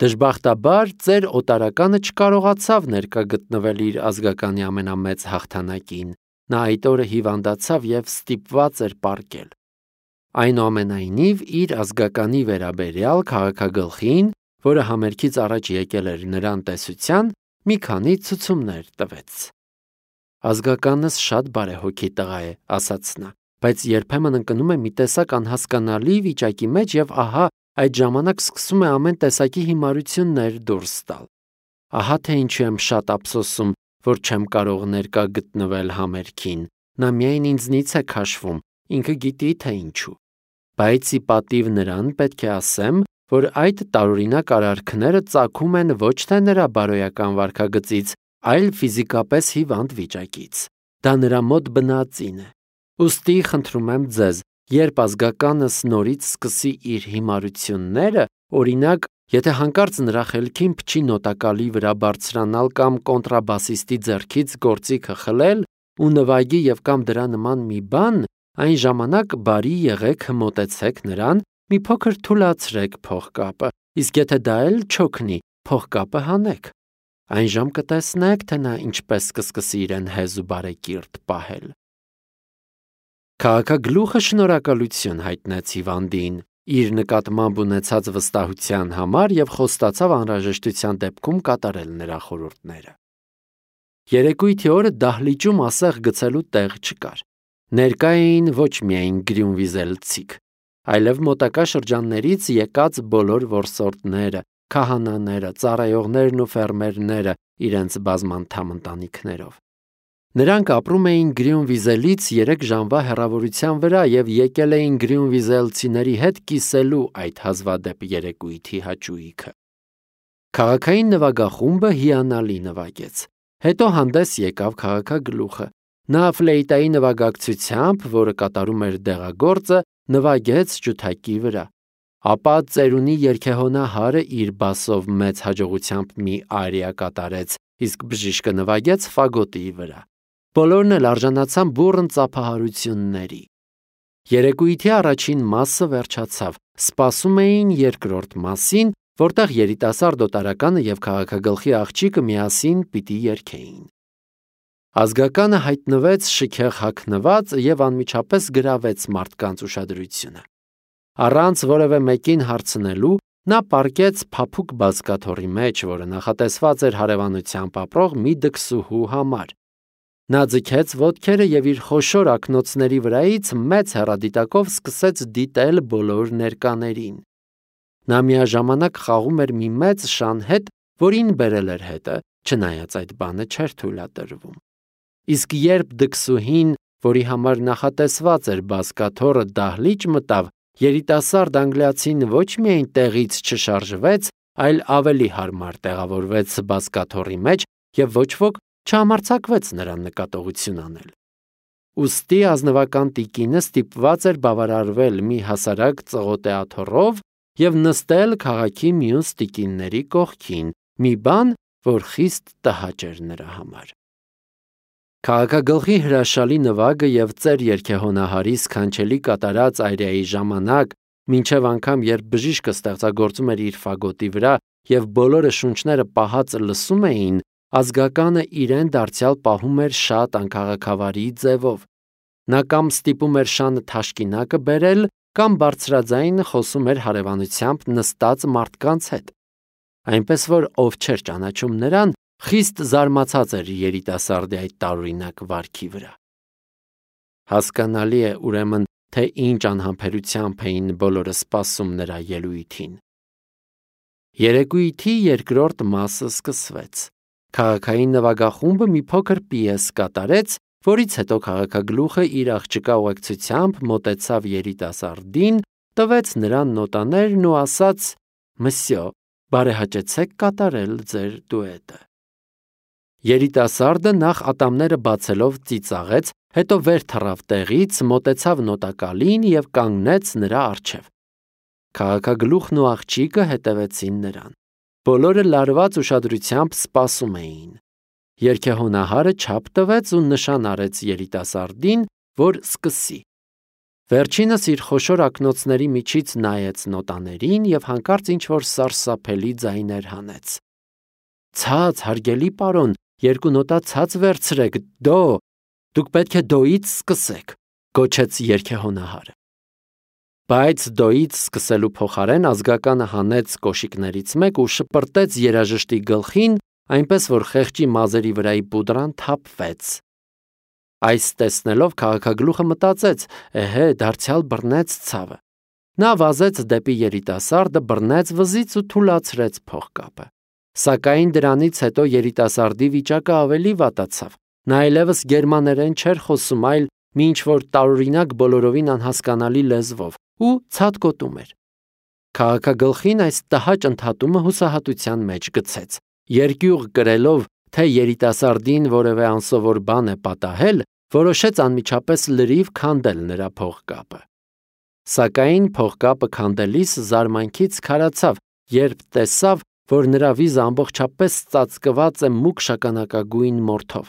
Դժբախտաբար ծեր օտարականը չկարողացավ ներկա գտնվել իր ազգականի ամենամեծ հաղթանակին, նա այդ օրը հիվանդացավ և ստիպված էր պառկել։ Այնուամենայնիվ իր ազգականի վերաբերյալ քաղաքագլխին, որը համերգից առաջ եկել էր նրան տեսության, մի քանի ցուցումներ տվեց։ Ազգականս շատ բարեհոգի տղա է, ասաց նա, բայց երբեմն ընկնում է մի տեսակ անհասկանալի վիճակի մեջ և ահա այդ ժամանակ սկսում է ամեն տեսակի հիմարություններ դուրս տալ։ Ահա թե ինչու եմ շատ ափսոսում, որ չեմ կարող ներկա գտնվել համերգին, նա միայն ինձնից է քաշվում, ինքը գիտի թե ինչու։ Բայց ի պատիվ նրան պետք է ասեմ, որ այդ տարօրինակ արարքները ծագում են ոչ թե նրա բարոյական վարքագծից, այլ ֆիզիկապես հիվանդ վիճակից։ Դա նրա մոտ բնածին է։ Ուստի խնդրում եմ ձեզ, երբ ազգականս նորից սկսի իր հիմարությունները, օրինակ, եթե հանկարծ նրա խելքին փչի նոտակալի վրա բարձրանալ կամ կոնտրաբասիստի ձեռքից գործիքը խլել ու նվագի և կամ դրա նման մի բան, այն ժամանակ բարի եղեք մոտեցեք նրան, մի փոքր թուլացրեք փողկապը, իսկ եթե դա էլ չօգնի, փողկապը հանեք։ Այնժամ կտեսնեք, թե նա ինչպես կսկսի իրեն հեզ ու բարեկիրթ պահել։ Քաղաքագլուխը շնորհակալություն հայտնեց հիվանդին իր նկատմամբ ունեցած վստահության համար և խոստացավ անհրաժեշտության դեպքում կատարել նրա խորհուրդները։ Երեկույթի օրը դահլիճում ասեղ գցելու տեղ չկար։ Ներկա էին ոչ միայն գրյունվիզելցիք, այլև մոտակա շրջաններից եկած բոլոր որսորդները, քահանաները, ծառայողներն ու ֆերմերները իրենց բազմանդամ ընտանիքներով։ Նրանք ապրում էին Գրյունվիզելից 3 ժամվա հեռավորության վրա և եկել էին գրյունվիզելցիների հետ կիսելու այդ հազվադեպ երեկույթի հաճույքը։ Քաղաքային նվագախումբը հիանալի նվագեց։ Հետո հանդես եկավ քաղաքագլուխը։ Նա ֆլեյտայի նվագակցությամբ, որը կատարում էր դեղագործը, նվագեց ջութակի վրա։ Ապա ծերունի երգեհոնահարը իր բասով մեծ հաջողությամբ մի արիա կատարեց, իսկ բժիշկը նվագեց ֆագոտի վրա։ Բոլորն էլ արժանացան բուռն ծափահարությունների։ Երեկույթի առաջին մասը վերջացավ, սպասում էին երկրորդ մասին, որտեղ երիտասարդ օտարականը և քաղաքագլխի աղջիկը միասին պիտի երգեին։ Ազգականը հայտնվեց շքեղ հագնված և անմիջապես գրավեց մարդկանց ուշադրությունը։ Առանց որևէ մեկին հարցնելու, նա պառկեց փափուկ բազկաթոռի մեջ, որը նախատեսված էր հարևանությամբ ապրող մի դքսուհու համար։ Նա ձգեց ոտքերը և իր խոշոր ակնոցների վրայից մեծ հեռադիտակով սկսեց դիտել բոլոր ներկաներին։ Նա միաժամանակ խաղում էր մի մեծ շան հետ, որին բերել էր հետը, չնայած այդ բանը չէր թույլատրվում։ Իսկ երբ դքսուհին, որի համար նախատեսված էր բազկաթոռը, դահլիճ մտավ, երիտասարդ անգլիացին ոչ միայն տեղից չշարժվեց, այլ ավելի հարմար տեղավորվեց բազկաթոռի մեջ և ոչ ոք չհամարձակվեց նրան նկատողություն անել։ Ուստի ազնվական տիկինը ստիպված էր բավարարվել մի հասարակ ծղոտե աթոռով և նստել քաղաքի մյուս տիկինների կողքին, մի բան, որ խիստ տհաճ էր նրա համար։ Քաղաքագլխի հրաշալի նվագը և ծեր երգեհոնահարի սքանչելի կատարած արիայի ժամանակ, մինչև անգամ երբ բժիշկը ստեղծագործում էր իր ֆագոտի վրա և բոլորը շունչները պահած լսում էին, ազգականը իրեն դարձյալ պահում էր շատ անքաղաքավարի ձևով։ Նա կամ ստիպում էր շանը թաշկինակը բերել, կամ բարձրաձայն խոսում էր հարևանությամբ նստած մարդկանց հետ։ Այնպես որ ով չէր ճանաչում նրան, խիստ զարմացած էր երիտասարդի այդ տարօրինակ վարքի վրա։ Հասկանալի է, ուրեմն, թե ինչ անհամբերությամբ էին բոլորը սպասում նրա ելույթին։ Երեկույթի երկրորդ մասը սկսվեց։ Քաղաքային նվագախումբը մի փոքր պիես կատարեց, որից հետո քաղաքագլուխը իր աղջկա ուղեկցությամբ մոտեցավ երիտասարդին, տվեց նրան նոտաներն ու ասաց. «Մսյո, բարեհաճեցեք կատարել ձեր դուետը»։ Երիտասարդը նախ ատամները բացելով ծիծաղեց, հետո վեր թռավ տեղից, մոտեցավ նոտակալին և կանգնեց նրա առջև։ Քաղաքագլուխն ու աղջիկը հետևեցին նրան։ Բոլորը լարված ուշադրությամբ սպասում էին։ Երգեհոնահարը չափ տվեց ու նշան արեց երիտասարդին, որ սկսի։ Վերջինս իր խոշոր ակնոցների միջից նայեց նոտաներին և հանկարծ ինչ-որ սարսափելի ձայներ հանեց. «Ցած, հարգելի պարոն, 2 նոտա ցած վերցրեք, դո, դուք պետք է դոյից սկսեք», գոչեց երգեհոնահարը։ Բայց դոյից սկսելու փոխարեն ազգականը հանեց կոշիկներից մեկ ու շպրտեց երաժշտի գլխին, այնպես որ խեղճի մազերի վրայի պուդրան թափվեց։ Այս տեսնելով քաղաքագլուխը մտածեց. «Էհե, դարձյալ բռնեց ցավը»։ Նա վազեց դեպի երիտասարդը, բռնեց վզից ու թուլացրեց փողկապը։ Սակայն դրանից հետո երիտասարդի վիճակը ավելի վատացավ։ Նա այլևս գերմաներեն չէր խոսում, այլ մի ինչ-որ տարօրինակ բոլորովին անհասկանալի լեզվով ու ցատկոտում էր։ Քաղաքագլխին այս տհաճ ընդհատումը հուսահատության մեջ գցեց։ Երկյուղ կրելով, թե երիտասարդին որևէ անսովոր բան է պատահել, որոշեց անմիջապես լրիվ քանդել նրա փողկապը։ Սակայն փողկապը քանդելիս զարմանքից քարացավ, երբ տեսավ, որ նրա վիզը ամբողջապես ծածկված է մուգ շագանակագույն մորթով։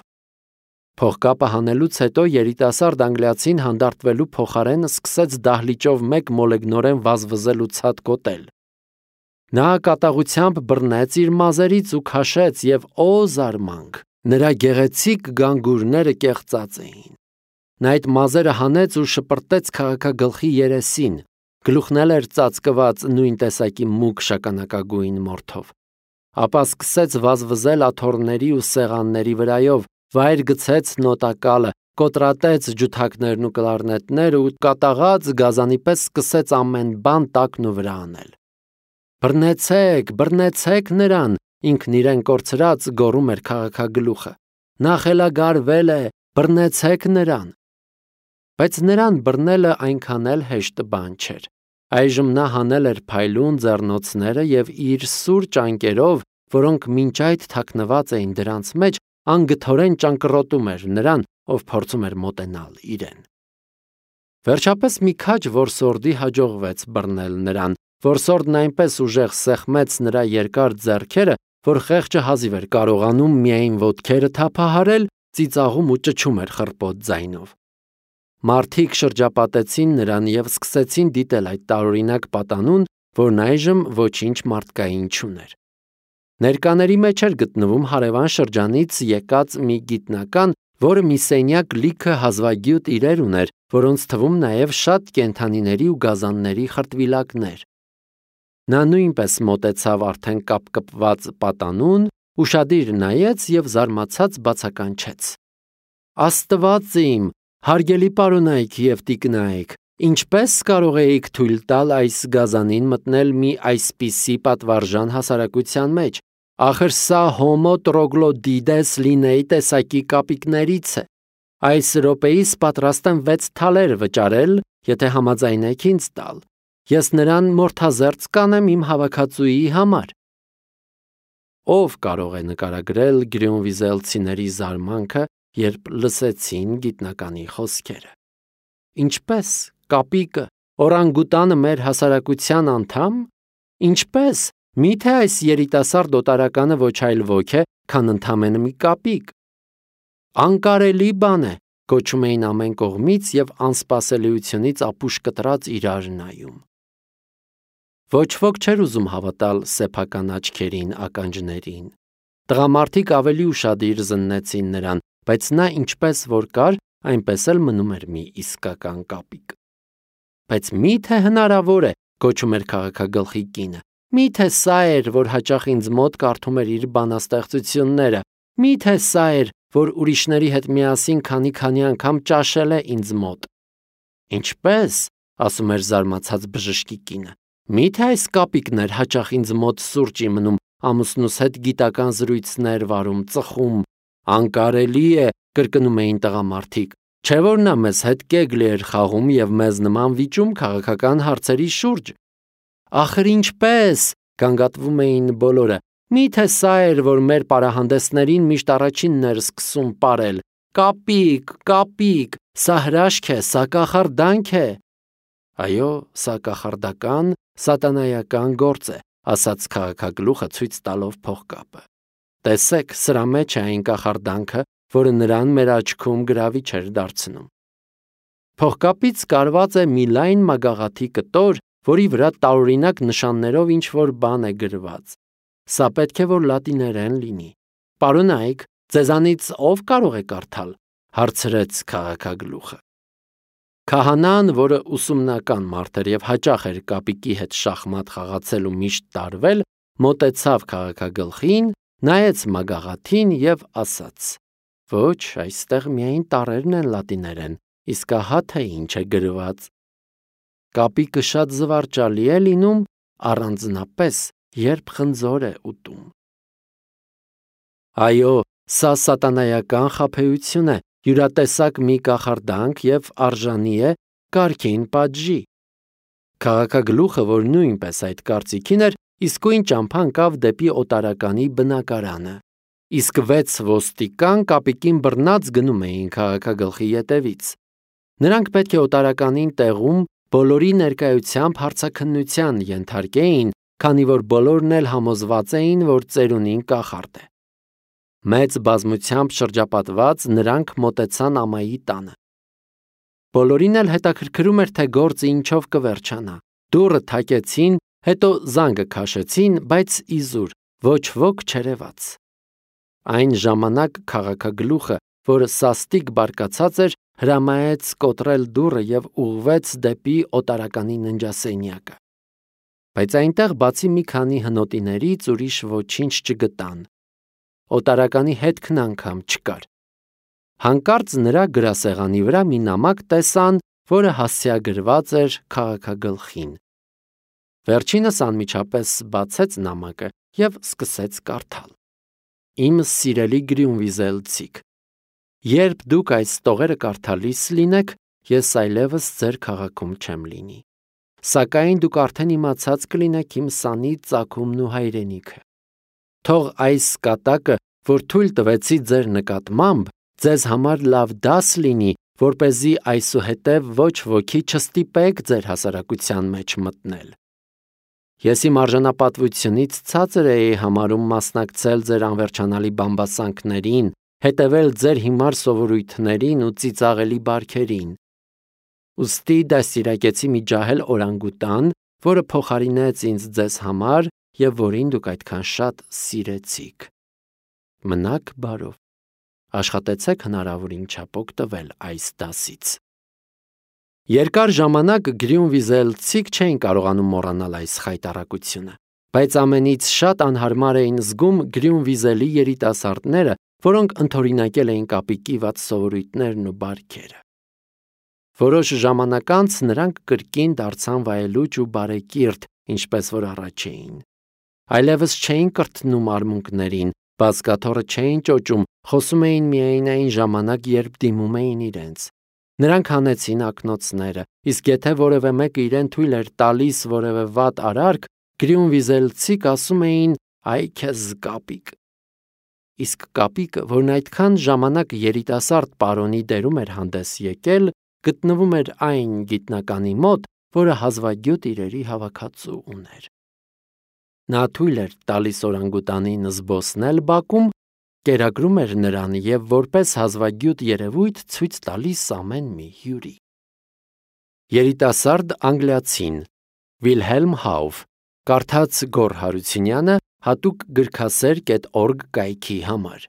Փողկապը հանելուց հետո երիտասարդ անգլիացին հանդարտվելու փոխարեն սկսեց դահլիճով մեկ մոլեգնորեն վազվզել ու ցատկոտել։ Նա կատաղությամբ բռնեց իր մազերից ու քաշեց և օ զարմանք, նրա գեղեցիկ գանգուրները կեղծած էին։ Նա այդ մազերը հանեց ու շպրտեց քաղաքագլխի երեսին, գլուխն էլ էր ծածկված նույն տեսակի մուգ շագանակագույն մորթով։ Ապա սկսեց վազվզել աթոռների ու սեղանների վրայով, վայր գցեց նոտակալը, կոտրատեց ջութակներն ու կլարնետները ու կատաղած գազանի պես սկսեց ամեն բան տակն ու վրա անել։ «Բռնեցեք, բռնեցեք նրան», ինքն իրեն կորցրած գոռում էր քաղաքագլուխը։ «Նա խելագարվել է, բռնեցեք նրան»։ Բայց նրան բռնելը այնքան էլ հեշտ բան չէր։ Այժմ նա հանել էր փայլուն ձեռնոցները և իր սուր ճանկերով, որոնք մինչ այդ թաքնված էին դրանց մեջ, անգթորեն ճանկռոտում էր նրան, ով փորձում էր մոտենալ իրեն։ Վերջապես մի քաջ որսորդի հաջողվեց բռնել նրան։ Որսորդն այնպես ուժեղ սեղմեց նրա երկար ձեռքերը, որ խեղճը հազիվ էր կարողանում միայն ոտքերը թափահարել, ծիծաղում ու ճչում էր խռպոտ ձայնով։ Մարդիկ շրջապատեցին նրան և սկսեցին դիտել այդ տարօրինակ պատանուն, որն այժմ ոչինչ մարդկային չուներ։ Ներկաների մեջ էր գտնվում հարևան շրջանից եկած մի գիտնական, որը մի սենյակ լիքը հազվագյուտ իրեր ուներ, որոնց թվում նաև շատ կենդանիների ու գազանների խրտվիլակներ։ Նա նույնպես մոտեցավ արդեն կապկպված պատանուն, ուշադիր նայեց և զարմացած բացականչեց. «Աստված իմ, հարգելի պարոնայք և տիկնայք, ինչպե՞ս կարող էիք թույլ տալ այս գազանին մտնել մի այսպիսի պատվարժան հասարակության մեջ։ Ախր սա հոմո տրոգլոդիտես լինեի տեսակի կապիկներից է։ Այս րոպեիս պատրաստ եմ 6 թալեր վճարել, եթե համաձայնեք ինձ տալ։ Ես նրան մորթազերծ կանեմ իմ հավաքածուի համար»։ Ով կարող է նկարագրել գրյոնվիզելցիների զարմանքը, երբ լսեցին գիտնականի խոսքերը։ Ինչպե՞ս, կապիկը, օրանգուտանը մեր հասարակության անդամ։ Ինչպե՞ս, միթե այս երիտասարդ օտարականը ոչ այլ ոք է, քան ընդամենը մի կապիկ։ Անկարելի բան է, գոչում էին ամեն կողմից և անսպասելիությունից ապուշ կտրած իրար նայում։ Ոչ ոք չէր ուզում հավատալ սեփական աչքերին, ականջներին։ Տղամարդիկ ավելի ուշադիր զննեցին նրան, բայց նա ինչպես որ կար, այնպես էլ մնում էր մի իսկական կապիկ։ Բայց մի՞թե հնարավոր է, գոչում էր քաղաքագլխի կինը։ Մի՞թե սա էր, որ հաճախ ինձ մոտ կարդում էր իր բանաստեղծությունները։ Մի՞թե սա էր, որ ուրիշների հետ միասին քանի անգամ ճաշել է ինձ մոտ։ Ինչպե՞ս, ասում էր զարմացած բժշկի կինը։ Մի՞թե այս կապիկն էր հաճախ ինձ մոտ սուրճի մնում, ամուսնուս հետ գիտական զրույցներ վարում, ծխում։ Անկարելի է, կրկնում էին տղամարդիկ։ Չէ՞ որ նա մեզ հետ կեգլի էր խաղում և մեզ նման վիճում քաղաքական հարցերի շուրջ։ Ախր ինչպե՞ս, գանգատվում էին բոլորը։ Մի՞թե սա էր, որ մեր պարահանդեսներին միշտ առաջինն էր սկսում պարել. «Կապիկ, կապիկ, սա հրաշք է, սա կախարդանք է»։ Այո, սա կախարդական, սատանայական գործ է, ասաց քաղաքագլուխը ցույց տալով փողկապը։ Տեսեք, սրա մեջ է այն կախարդանքը, որը նրան մեր աչքում գրավիչ էր դարձնում։ Փողկապից կարված է մի լայն մագաղաթի կտոր, որի վրա տարօրինակ նշաններով ինչ-որ բան է գրված։ Սա պետք է որ լատիներեն լինի։ Պարոնայք, ձեզանից ով կարող է կարդալ, հարցրեց քաղաքագլուխը։ Քահանան, որը ուսումնական մարդ էր եւ հաճախ էր կապիկի հետ շախմատ խաղացել ու միշտ տարվել, մոտեցավ քաղաքագլխին, նայեց մագաղաթին եւ ասաց. «Ոչ, այստեղ միայն տառերն են լատիներեն, իսկ ահա թե ինչ է գրված»։ Կապիկը շատ զվարճալի է լինում, առանձնապես երբ խնձոր է ուտում։ Այո, սա սատանայական խաբեություն է, յուրատեսակ մի կախարդանք եւ արժանի է կարգին պատժի։ Քաղաքագլուխը, որ նույնպես այդ կարծիքին էր, իսկույն ճամփա ընկավ դեպի օտարականի բնակարանը, իսկ 6 ոստիկան կապիկին բռնած գնում էին քաղաքագլխի ետևից։ Նրանք պետք է օտարականին տեղում բոլորի ներկայությամբ հարցաքննության ենթարկեին, քանի որ բոլորն էլ համոզված էին, որ ծերունին կախարդ է։ Մեծ բազմությամբ շրջապատված նրանք մոտեցան ամայի տանը։ Բոլորին էլ հետաքրքրում էր, թե գործը ինչով կվերջանա։ Դուռը թակեցին, հետո զանգը քաշեցին, բայց իզուր, ոչ ոք չերևաց։ Այն ժամանակ քաղաքագլուխը, որը սաստիկ բարկացած էր, հրամայեց կոտրել դուռը եւ ուղղվեց դեպի օտարականի ննջասենյակը։ Բայց այնտեղ բացի մի քանի հնոտիներից ուրիշ ոչինչ չգտան։ Օտարականի հետքն անգամ չկար։ Հանկարծ նրա գրասեղանի վրա մի նամակ տեսան, որը հասցեագրված էր քաղաքագլխին։ Վերջինս անմիջապես բացեց նամակը եւ սկսեց կարդալ. Իմ սիրելի գրյունվիզելցիք, երբ դուք այս տողերը կարդալիս լինեք, ես այլևս ձեր քաղաքում չեմ լինի։ Սակայն դուք արդեն իմացած կլինեք իմ սանի ծագումն ու հայրենիքը։ Թող այս կատակը, որ թույլ տվեցի ձեր նկատմամբ, ձեզ համար լավ դաս լինի, որպեսզի այսուհետև ոչ ոքի չստիպեք ձեր հասարակության մեջ մտնել։ Ես իմ արժանապատվությունից ցածր էի համարում մասնակցել ձեր անվերջանալի բամբասանքներին, հետևել ձեր հիմար սովորույթներին ու ծիծաղելի բարքերին։ Ուստի դաստիարակեցի մի ջահել օրանգուտան, որը փոխարինեց ինձ ձեզ համար եւ որին դուք այդքան շատ սիրեցիք։ Մնաք բարով։ Աշխատեցեք հնարավորին չափ օգտվել այս դասից։ Երկար ժամանակ գրյունվիզելցիք չէին կարողանում մոռանալ այս խայտառակությունը, բայց ամենից շատ անհարմար էին զգում գրյունվիզելի երիտասարդները, որոնք ընդօրինակել էին կապիկի վատ սովորույթներն ու բարքերը։ Որոշ ժամանակ անց նրանք կրկին դարձան վայելուչ ու բարեկիրթ, ինչպես որ առաջ էին։ Այլևս չէին կրթնում արմունկներին, բազկաթոռը չէին ճոճում, խոսում էին միայն այն ժամանակ, երբ դիմում էին իրենց։ Նրանք հանեցին ակնոցները, իսկ եթե որևէ մեկը իրեն թույլ էր տալիս որևէ վատ արարք, գրյունվիզելցիք ասում էին «Այ քեզ կապիկ»։ Իսկ կապիկը, որն այդքան ժամանակ երիտասարդ պարոնի դերում էր հանդես եկել, գտնվում էր այն գիտնականի մոտ, որը հազվագյուտ իրերի հավաքածու ուներ։ Նա թույլ էր տալիս օրանգուտանին զբոսնել բակում, կերակրում էր նրան եւ որպես հազվագյուտ երևույթ ցույց տալիս ամեն մի հյուրի։ Երիտասարդ անգլիացին Վիլհելմ Հաուֆ, կարդաց Գոռ Հարությունյանը, հատուկ գրքասեր.org կայքի համար։